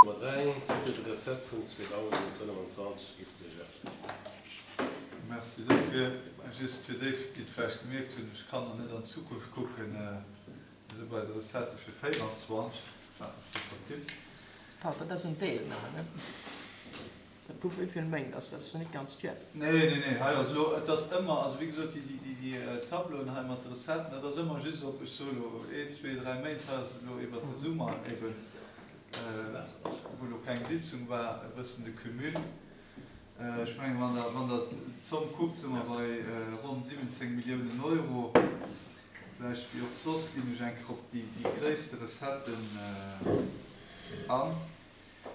Nummer 3, Titel de recette vun 2025 giff lech eppes. Merci dofir. Just fir déi, déi et vläicht gemierkt hunn, ech kann nach net an d'Zukunft kucken, mir si bei de Recettë fir 24, ech hat mech do vertippt. Pardon, dat ass en Deel nëmmen, ne? Vu wéi vill Méint ass dat? Ass jo net ganz d'Joer. Nee, nee, nee, hei ass elo, et ass ëmmer, also wéi gesot, déi, déi, déi Tableauen hei mat de Recetten, dat ass ëmmer just op, ech soe elo een, zwee, dräi Méint, hei ass et elo iwwert de Summer eben, wou elo keng Sitzung war, e bëssen de Cumul. Ech mengen, wann Der, wann Der d'Zomm kuckt, si mer bei ronn 17 Milliounen Euro. Vläicht, wéi och soss, ginn ech eng Kéier op déi, déi gréisste Recetten an.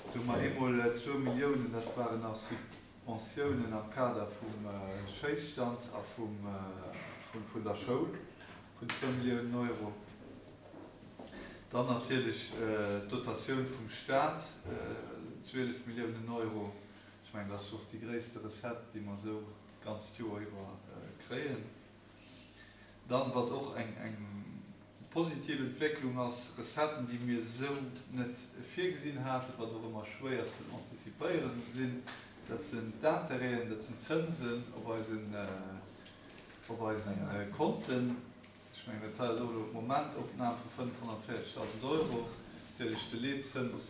Do hu mer eemol zwou Milliounen, dat waren nach Subventiounen am Kader vum Schéisstand a vun der Schoul vun zwou Milliounen Euro. Dann natierlech d'Dotatioun vum Stat, 12 Milliounen Euro. Ech mengen, dat ass och déi gréisste Recette, déi mer esou d'ganzt Joer iwwer kréien. Dann, wat och eng positiv Entwécklung ass, Recetten, déi mir esou net virgesinn haten, wat och ëmmer schwéier ze anticipéieren sinn, dat sinn d'Intérêten, dat sinn d'Zënsen op eisen, op eisen Konten. Ech mengen, dat hei ass och elo d'Momentopnam vu 540.000 Euro. Natierlech de Leetzëns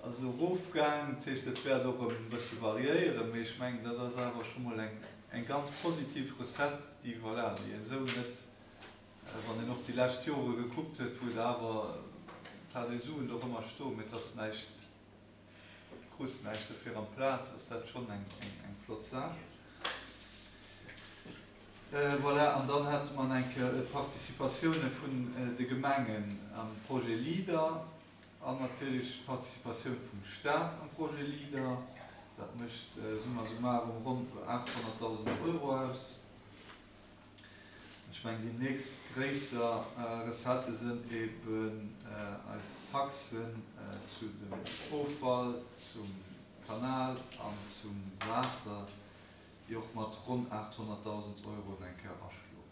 ass elo erofgaang, dat heescht, dat wäert och erëm e bësse variéieren, mee ech mengen, dat ass awer scho mol eng, eng ganz positiv Recette, déi, voilà, déi een esou net, wann een och déi lescht Jore gekuckt huet, wou et awer, et hat ee Suen do och ëmmer stoen, mee et ass näischt, du krus näischt dofir amplaz, ass dat schonn eng, eng flott Saach. Voilà, an dann hate mer nach eng Kéier d'Participatioune vun de Gemengen am Projet Leader. An natierlech d'Participatioun vum Staat am Projet Leader. Dat mécht summa summarum ronn 800.000 Euro aus. Ech mengen, déi nächst gréisser Recettë sënn eben eis Taxen zu dem Offall, zum Kanal an zum Waasser, déi och mat ronn 800.000 Euro eng Kéier aschloen.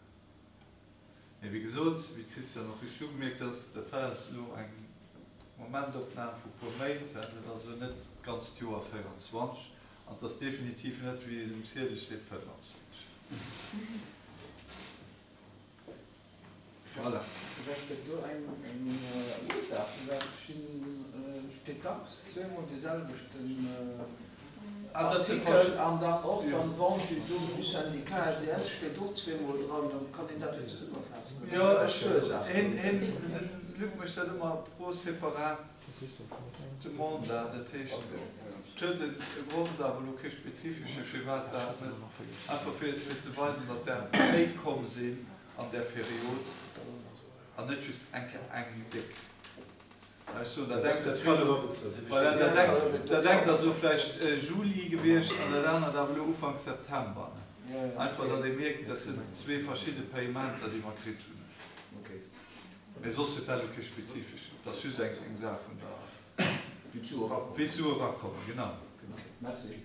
Mee wéi gesot, wéi d'Christiane och richteg ugemierkt huet, dat hei ass elo eng Momentopnam vu puer Méint, dat ass elo net d'ganzt Joer 24 an et ass definitiv net, wéi et um Ziedel steet, 25. Voilà. Vläicht gëtt do eng Ursaach, firwat steet dacks zweemol dee selwechten Artikel an dann och dann Vente du don du syndicat SES steet och zweemol dran, dann kann een dat jo zesummefaassen. Jo, ech, hien, hien, de Luc mécht dat ëmmer pro separat Demanda, dat heescht, et huet e Grond, awer elo kee spezifesche firwat dat net, einfach fir, fir ze weisen, datt der méi komm sinn an där Period an net just eng Kéier eng déck. Ech soen, dat engt, dat kann elo, voilà, dat engt, dat engt ass elo vläicht Juli gewiescht an dat anert awer elo Ufank September. Einfach, datt ee mierkt, dat sinn zwee verschidde Payementer, déi mer kritt hunn. Mee soss huet dat elo kee spezifeschen, et ass just eng, eng Saach vun der, Wéi d'Sue erakommen. Wéi d'Sue erakommen, genau. Merci.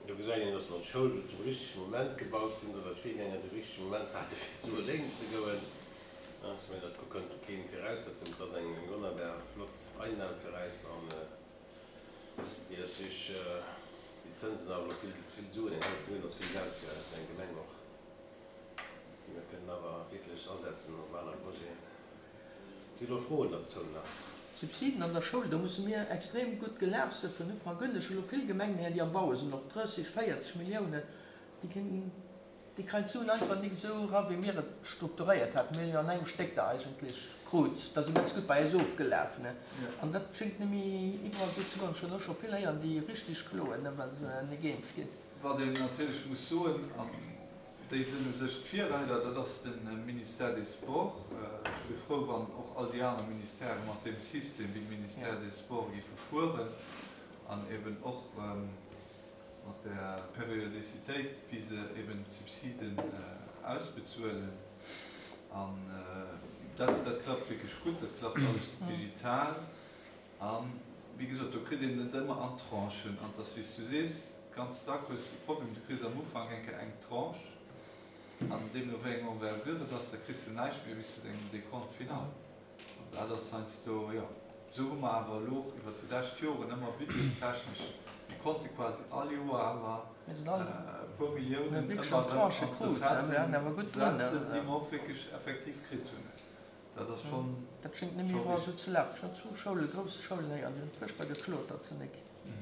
Do gesäit een, dass mer d'Schoul do zum richtege Moment gebaut hunn, dass eis Virgänger de richtege Moment hate fir zu Léinen ze goen. Ech mengen, dat kënnt do keen viraussetzen. Et ass eng wonnerbar flott Einnam fir eis an déi ass duerch déi Zënsen awer elo vill, vill Suen, eng hallef Millioun ass vill Geld fir eng Gemeng och, déi mer kënnen awer wierklech asetzen op aner Projeten. Si elo Froen derzou nach? Subsiden an der Schoul, do musse mir extrem gutt gelaf sinn vun Ufank un. Ech hu elo vill Gemengen héieren, déi am Baue sinn, op 30, 40 Milliounen, déi kinn, déi kréien d'Suen einfach nik esou era wéi mir et strukturéiert haten. Mir hunn jo an engem Stéck der eigentlech krut, da si ganz gutt bei eis ofgelaf, ne. An dat schéngt net méi iwwerall esou ze goen. Ech hunn och scho vill héieren, déi richteg kloen, ne, well se nik eens ginn. Wat een natierlech muss soen, an déi sinn u sech d'Virreider, dat ass de Ministère des Sports. Ech wier frou, wann och all déi aner Ministèrë mat deem System wéi de Ministère des Sports géife fueren an eben och mat där Périodicitéit, wéi se eben d'Subsiden ausbezuelen. An dat, dat klappt wierklech gutt, dat klappt alles digital. A wéi gesot, do kritt een et ëmmer an Tranchen. An et ass, wéi s du sees, ganz dack hues de Problem, du kriss am Ufank eng Kéier eng Tranche. An deemno wéi eng Envergure et ass, da kriss de näischt méi bis zu dengem Décompte final. An dat ass heiansdo, jo. Esou hu mer awer elo och iwwert déi lescht Joren ëmmer budgetstechnesch, mir konnte quasi all Joer awer e puer Milliounen ëmmer erëm an d'Recetten setzen, déi mer och wierklech effektiv kritt hunn. Dat ass schonn. Dat schéngt net méi iwwerall esou ze lafen. Ech hunn zwou Schoulen, grouss Schoulen héieren, déi hunn fuerchtbar geklot, datt se nek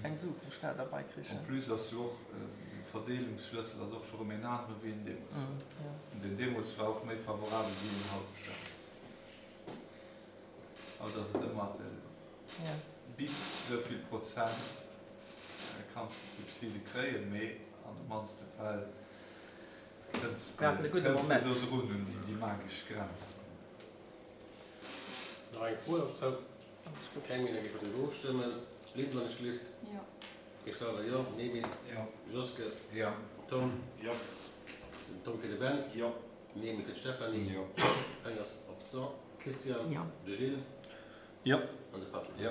keng Sue vum Staat erbei En krichen. plus ass jo och de Verdeelungsschlëssel ass och scho rëm een anere wéi en deemools war. An deen deemools war och méi favorabel wéi en hautdesdaags ass. Haut ass et ëmmer bis esou vill Prozent kanns de Subside kréien, mee an de mannste Fäll kënns de do drun un déi magesch Grenz. Nach eng Fro dozou? Keng méi, da géife mer driwwer ofstëmmen. Lynn, wann ech gelift. Jo. Ech selwer jo. Nemi? Jo. Joske? Jo. Tom? Jo. Den Tom fir de Ben? Jo. Nemi fir d'Stéphanie? Jo. Eng ass absent. Christian? Jo. De Gilles? Jo. An de Patrick? Jo.